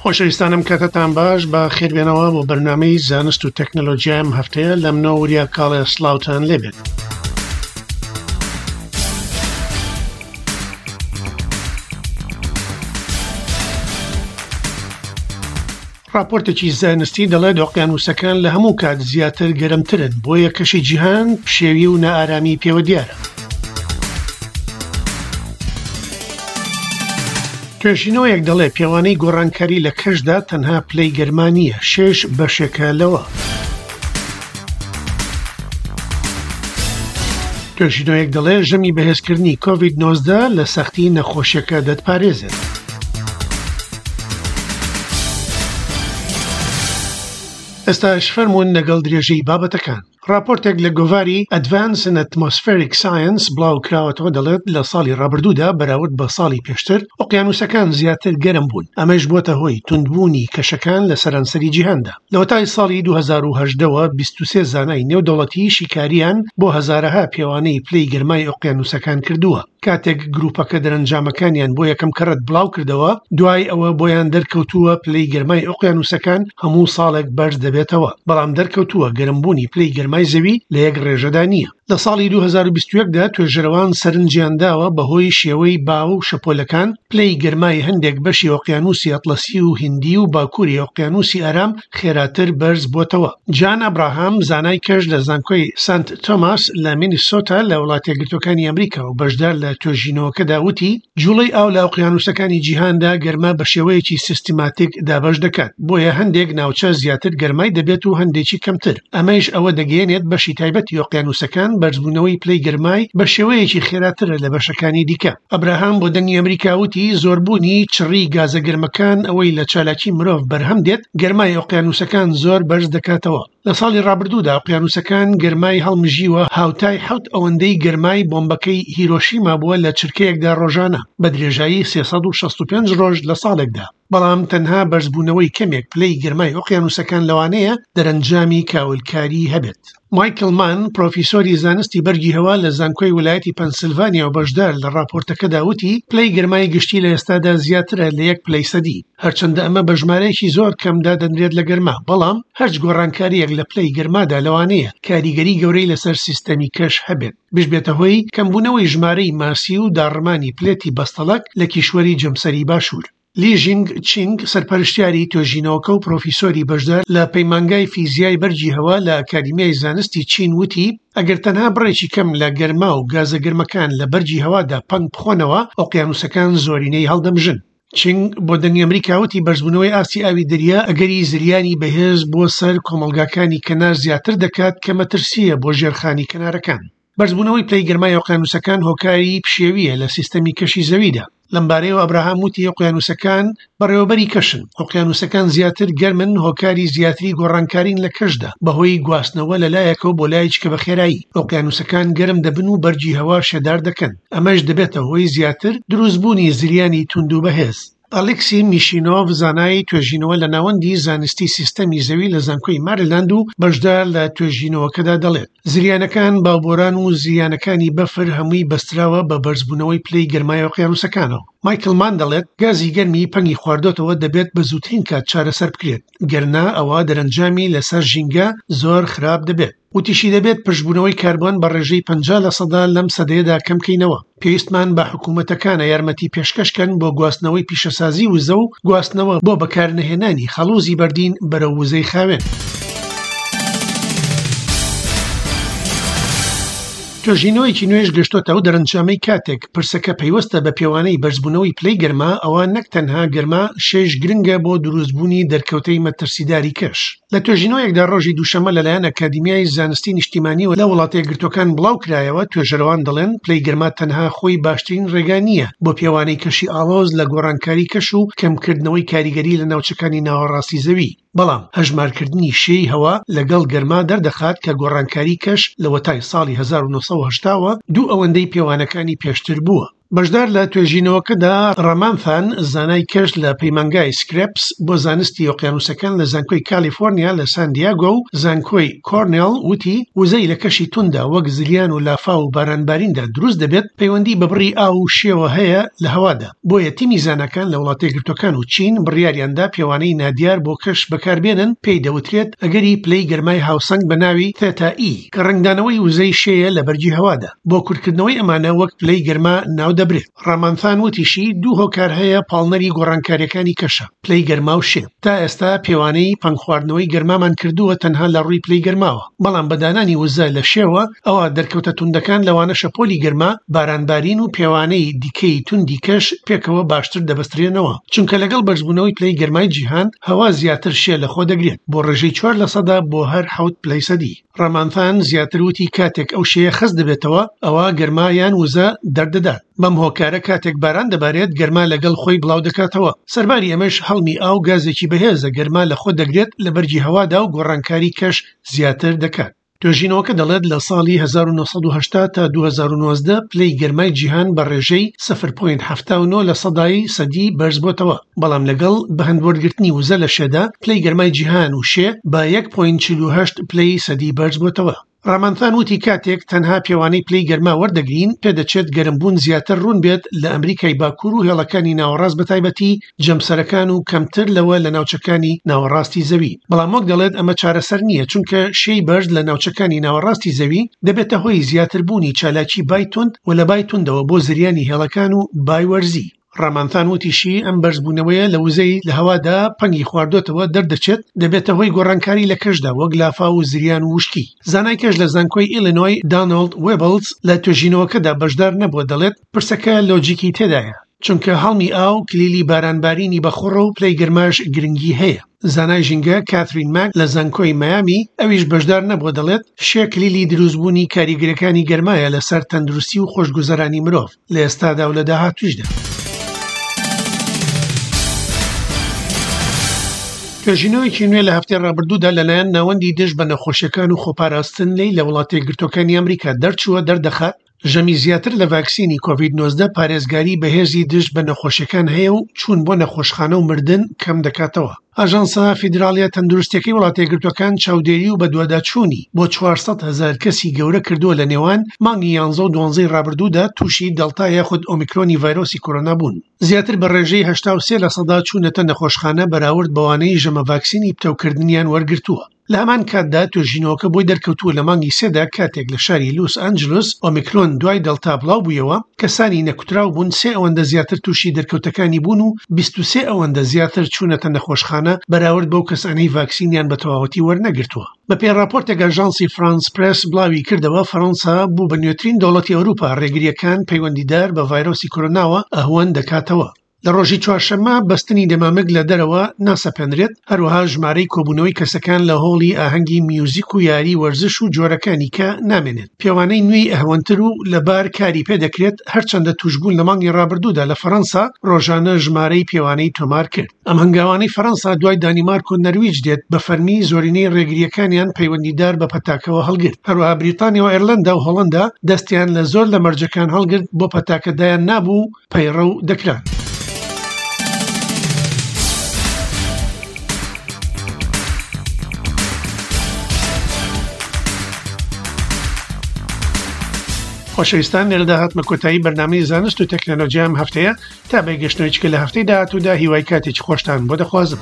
خۆشەویستانم کاتتان باش بە خێربێنەوە بۆ بەرنامەی زانست و تەکنەلۆژیای ئەم هەفتەیە لە منەوە وریا کاڵێ سڵاوتان لێبێت. ڕاپۆرتێکی زانستی دەڵێت ئۆقیانووسەکان لە هەموو کات زیاتر گەرمترن بۆیە کەشی جیهان پشێوی و نائارامی پێوە دیارە. توێژینەوەیەک دەڵێ پێوانەی گۆڕانکاری لە کەشدا تەنها پلەی گەرما نییە، شێش بەشێکە لەوە. توێژینەوەیەک دەڵێ ژەمی بەهێزکردنی کۆڤید 19 لە سەختی نەخۆشیەکە دەتپارێزێت. ئێستاش فەرموون لەگەڵ درێژەی بابەتەکان. ڕاپۆرتێک لە گۆڤاری Advance in Atmospheric Science بڵاو کراوەتەوە دەڵێت لە ساڵی ڕابردوودا بەراورد بە ساڵی پێشتر ئۆقیانوسەکان زیاتر گەرم بوون ئەمەش بۆتە هۆی توندبوونی کەشەکان لە سەرانسەری جیهاندا لەوەتای ساڵی 2018ەوە 23 زانای نێودەوڵەتی شیکاریان بۆ هەزارەها پێوانەی پلەی گەرمای ئۆقیانوسەکان کردووە کاتێک گروپەکە دەرەنجامەکانیان بۆ یەکەم کەڕەت بڵاو کردەوە، دوای ئەوە بۆیان دەرکەوتووە پلەی گەرمای ئۆقیانوسەکان هەموو ساڵێک بەرز دەبێتەوە، بەڵام دەرکەوتووە گەرمبوونی پلەی گەرمای زەوی لە یەک ڕێژەدا نییە. لە ساڵی 2021 دا توێژەرەوان سەرنجیان داوە بەهۆی شێوەی با و شەپۆلەکان پلەی گەرمای هەندێک بەشی ئۆقیانوسی ئەتڵەسی و هیندی و باکووری ئۆقیانوسی ئارام خێراتر بەرز بۆتەوە. جان ئەبراهام، زانای کەش لە زانکۆی سانت تۆماس لە مینیسۆتا لە وڵاتەیەکگرتووەکانی ئەمریکا و بەشدار لە توێژینەوەکەدا وتی، جوڵەی ئاو لە ئۆقیانوسەکانی جیهاندا گەرما بە شێوەیەکی سیستماتیک دابەش دەکات، بۆیە هەندێک ناوچە زیاتر گەرمای دەبێت و هەندێکی کەمتر، ئەمەیش ئەوە دەگەیەنێت بەشی تایبەتی ئۆقیانوسەکان بەرزبوونەوەی پلەی گەرمای بە شێوەیەکی خێراترە لە بەشەکانی دیکە. ئەبراهام بۆ دەنگی ئەمریکا وتی، زۆربوونی چڕی گازە گەرمەکان ئەوەی لە چالاکی مرۆڤ بەرهەم دێت، گەرمای ئۆقیانوسەکان زۆر بەرز دەکاتەوە. لە ساڵی ڕابردوودا ئۆقیانوسەکان گەرمای هەڵمژیوە هاوتای حەوت ئەوەندەی گەرمای بۆمبەکەی هیرۆشیما بووە لە چرکەیەکدا ڕۆژانە بە درێژایی 365 ڕۆژ لە ساڵێکدا. بەڵام تەنها بەرزبوونەوەی کەمێک پلەی گەرمای ئۆقیانوسەکان لەوانەیە دەرەنجامی کاولکاری هەبێت. مایکل مان، پرۆفیسۆری زانستی بەرگی هەوا لە زانکۆی ولایەتی پەنسلڤانیا و بەشدار لە ڕاپۆرتەکەدا وتی، پلەی گەرمای گشتی لە ئێستادا زیاترە لە یەک پلەی سەدی، هەرچەندە ئەمە بە ژمارەیەکی زۆر کەم دادەنرێت لە گەرما، بەڵام هەرچ گۆڕانکارییەک لە پلەی گەرمادا لەوانەیە کاریگەری گەورەی لەسەر سیستەمی کەش هەبێت، بشبێتە هۆی کەمبوونەوەی ژمارەی ماسی و داڕمانی پلێتی بەستەڵەک لە کیشوەری جەمسەری باشوور. لی ژینگ چینگ، سەرپەرشتیاری توێژینەوەکە و پرۆفیسۆری بەشدار لە پەیمانگای فیزیای بەرگی هەوا لە ئەکادیمیای زانستی چین وتی، ئەگەر تەنها بڕێکی کەم لە گەرما و گازە گەرمەکان لە بەرگی هەوادا پەنگ بخۆنەوە، ئۆقیانوسەکان زۆرینەی هەڵدەمژن. چینگ بۆ دەنگی ئەمریکا وتی، بەرزبوونەوەی ئاستی ئاوی دەریا ئەگەری زریانی بەهێز بۆ سەر کۆمەڵگاکانی کەنار زیاتر دەکات کە مەترسییە بۆ ژێرخانی کەنارەکان. بەرزبوونەوەی پلەی گەرمای ئۆقیانوسەکان هۆکاری پشێوییە لە سیستەمی کەشی زەویدا. لەمبارەیەوە ئەبراهام وتی ئۆقیانوسەکان بەڕێوەبەری کەشن، ئۆقیانوسەکان زیاتر گەرمن هۆکاری زیاتری گۆڕانکارین لە کەشدا بەهۆی گواستنەوە لە لایەکەوە بۆ لایەکی کە بە خێرایی ئۆقیانوسەکان گەرم دەبن و بەرگی هەوا شێدار دەکەن ئەمەش دەبێتە هۆی زیاتر دروستبوونی زریانی توند و بەهێز. ئەلێکسی میشینۆڤ زانای توێژینەوە لە ناوەندی زانستی سیستەمی زەوی لە زانکۆی ماریلاند و بەشدار لە توێژینەوەکەدا دەڵێت، زریانەکان، باوبۆران و زریانەکانی بەفر هەمووی بەستراوە بە بەرزبوونەوەی پلەی گەرمای ئۆقیانوسەکانەوە. مایکل مان دەڵێت، گازی گەرمی پەنگی خواردۆتەوە دەبێت بە زووترین کات چارەسەر بکرێت، گەرنا ئەوا دەرەنجامی لەسەر ژینگە زۆر خراپ دەبێت. وتیشی دەبێت پرژبوونەوەی کاربۆن بە ڕێژەی 50 لەسەدا لەم سەدەیەدا کەمکەینەوە، پێویستمان بە حکوومەتەکانە یارمەتی پێشکەشکەن بۆ گواستنەوەی پیشەسازی وزە و گواستنەوە بۆ بەکارنەهێنانی خەڵوزی بەردین بەرەو وزەی خاوێن. توێژینەوەیەکی نوێش گەشتۆتە ئەو دەرەنجامەی کاتێک پرسەکە پەیوەستە بە پێوانەی بەرزبوونەوەی پلەی گەرما ئەوا نەک تەنها گەرما شێش گرنگە بۆ دروستبوونی دەرکەوتەی مەترسیداری کەش. لە توێژینەوەیەکدا ڕۆژی دووشەممە لەلایەن ئەکادیمیای زانستی نیشتیمانیەوە لە وڵاتەیەکگرتووەکان بڵاوکرایەوە، توێژەرەوان دەڵێن پلەی گەرما تەنها خۆی باشترین ڕێگا نییە بۆ پێوانەی کەشی ئاڵۆز لە گۆڕانکاری کەش و کەمکردنەوەی کاریگەری لە ناوچەکانی ناوەڕاستی زەوی، بەڵام هەژمارکردنی شێی هەوا لەگەڵ گەرما دەردەخات کە گۆڕانکاری کەش لەوەتای ساڵی 1980 وە دوو ئەوەندەی پێوانەکانی پێشتر بووە. بەشدار لە توێژینەوەکەدا ڕامانثان زانای کەش لە پەیمانگای سکرێپس بۆ زانستی ئۆقیانوسەکان لە زانکۆی کالیفۆرنیا لە سان دیاگۆ و زانکۆی کۆرنێڵ وتی، وزەی لە کەشی توندا وەک زریان و لافاو و بارانباریندا دروست دەبێت پەیوەندی بە بڕی ئاو و شێوە هەیە لە هەوادا، بۆیە تیمی زاناکان لە وڵاتەیەکگرتووەکان و چین بڕیاریاندا پێوانەی نادیار بۆ کەش بەکاربێنن پێی دەوترێت ئەگەری پلەی گەرمای هاوسەنگ بە ناوی Theta E کە ڕەنگدانەوەی وزەی شێیە لە بەرگی هەوادا. بۆ کورتکردنەوەی ئەمانە وەک پلەی گەرما ناودەبرێت. ڕامانثان وتیشی، دوو هۆکار هەیە پاڵنەری گۆڕانکارییەکانی کەشە، پلەی گەرما و شێ. تا ئێستا پێوانەی پەنگخواردنەوەی گەرمامان کردووە تەنها لە ڕووی پلەی گەرماوە، بەڵام بە دانانی وزە لە شێوە، ئەوا دەرکەوتە توندەکان لەوانە شەپۆلی گەرما، بارانبارین و پێوانەی دیکەی توندی کەش پێکەوە باشتر دەبەسترێنەوە، چونکە لەگەڵ بەرزبوونەوەی پلەی گەرمای جیهان، هەوا زیاتر شێ لەخۆ دەگرێت بۆ ڕێژەی 4% بۆ هەر حەوت پلەی سەدی. ڕامانثان زیاتر وتی کاتێک ئەو شێیە خەست دەبێتەوە ئەوا گەرما یان وزە دەردەدات، بەم هۆکارە کاتێک باران دەبارێت گەرما لەگەڵ خۆی بڵاودەکاتەوە، سەرباری ئەمەش هەڵمی ئاو گازێکی بەهێزە گەرما لەخۆ دەگرێت لە بەرگی هەوادا و گۆڕانکاری کەش زیاتر دەکات. توێژینەوەکە دەڵێت لە ساڵی 1980 تا 2019 پلەی گەرمای جیهان بە ڕێژەی 0.79 لە سەدای سەدی بەرزبۆتەوە، بەڵام لەگەڵ بەهەندوەرگرتنی وزە لە شێدا، پلەی گەرمای جیهان و شێ بە 1.48 پلەی سەدی بەرزبۆتەوە. ڕامانثان وتی کاتێک تەنها پێوانەی پلەی گەرما وەردەگرین، پێدەچێت گەرمبوون زیاتر ڕوون بێت لە ئەمریکای باکوور و هێڵەکانی ناوەڕاست بەتایبەتی جەمسەرەکان و کەمتر لەوە لە ناوچەکانی ناوەڕاستی زەوی. بەڵام وەک دەڵێت ئەمە چارەسەر نییە چونکە شێی بەرز لە ناوچەکانی ناوەڕاستی زەوی دەبێتە هۆی زیاتربوونی چالاکی بای توند و لە بای توندەوە بۆ زریانی هێڵەکان و بای وەرزی. ڕامانثان وتیشی، ئەم بەرزبوونەوەیە لە وزەی لە هەوادا پەنگی خواردۆتەوە دەردەچێت، دەبێتە هۆی گۆڕانکاری لە کەشدا وەک لافاو و زریان و وشکی. زانای کەش لە زانکۆی ئیلینۆی دانۆڵد وێبڵز لە توێژینەوەکەدا بەشدار نەبووە دەڵێت، پرسەکە لۆجیکی تێدایە، چونکە هەڵمی ئاو کلیلی بارانبارینی بەخوڕە و پلەی گەرماش گرنگی هەیە. زانای ژینگە کاترین ماک لە زانکۆی مەیامی ئەویش بەشدار نەبووە دەڵێت، شێ کلیلی دروستبوونی کاریگەریەکانی گەرمایە لەسەر تەندروستی و خۆشگوزەرانی مرۆڤ. لە ئێستادا و لە داهاتوویشدا. توێژینەوەیەکی نوێ لە هەفتەی ڕابردوودا لەلایەن ناوەندی دژ بە نەخۆشیەکان و خۆپاراستن لێی لە وڵاتە یەکگرتووەکانی ئەمریکا دەرچووە دەردەخات ژەمی زیاتر لە ڤاکسینی کۆڤید 19 پارێزگاری بەهێزی دژ بە نەخۆشیەکان هەیە و چوون بۆ نەخۆشخانە و مردن کەم دەکاتەوە. ئاژانسە فیدراڵیە تەندروستیەکەی وڵاتەیەکگرتوەکان چاودێری و بەدواداچوونی بۆ 400 هەزار کەسی گەورە کردووە لە نێوان مانگی یانزە و دوانزەی ڕابردوودا تووشی دەڵتا یاخود ئۆمیکرۆنی ڤایرۆسی کۆرۆنا بوون زیاتر بە ڕێژەی 83 لەسەدا چوونەتە نەخۆشخانە بەراورد بەوانەی ژەمە ڤاکسینی پتەوکردنیان وەرگرتووە. لە هەمان کاتدا توێژینەوەکە بۆی دەرکەوتووە لە مانگی سێدا کاتێک لە شاری لوس ئەنجلس ئۆمیکرۆن دوای دەڵتا بڵاوبوویەوە کەسانی نەکوتراو بوون سێ ئەوەندە زیاتر تووشی دەرکەوتەکانی بوون و 23 ئەوەندە زیاتر چوونەتە نەخۆشخانە بەراورد بەو کەسانەی ڤاکسینیان بە تەواوەتی وەرنەگرتووە. بەپێی ڕاپۆرتێک ئاژانسی فرانس پرێس بڵاوی کردەوە، فەرەنسا بوو بە نوێترین دەوڵەتی ئەوروپا ڕێگرییەکان پەیوەندیدار بە ڤایرۆسی کۆرۆناوە ئەهوەن دەکاتەوە. لە ڕۆژی چوارشەممە بەستنی دەمامک لە دەرەوە ناسەپێنرێت، هەروەها ژمارەی کۆبوونەوەی کەسەکان لە هۆڵی ئاهەنگی میوزیک و یاری وەرزش و جۆرەکانی کە نامێنێت. پێوانەی نوێی ئەهوەنتر و لەبار کاری پێدەکرێت، هەرچەندە تووشبوون لە مانگی ڕابردوودا لە فەرەنسا ڕۆژانە ژمارەی پێوانەی تۆمار کرد. ئەم هەنگاوانەی فەرەنسا دوای دانیمارک و نەرویج دێت بە فەرمی زۆرینەی ڕێگرییەکانیان پەیوەندیدار بە پەتاکەوە هەڵگرت. هەروەها بریتانیا و ئێرلەندا و هۆڵەندا دەستیان لە زۆر لە مەرجەکان هەڵگرت بۆ پەتاکە دایان نابوو و پەیڕەو دەکران. خۆشەویستان لێرەدا هاتمە کۆتایی بەرنامەی زانست و تەکنەلۆژیا ئەم هەفتەیە تا بەگەشتنەوەی چکە لە هەفتەی داهاتوودا هیوای کاتێکی خۆشتان بۆ دەخوازم.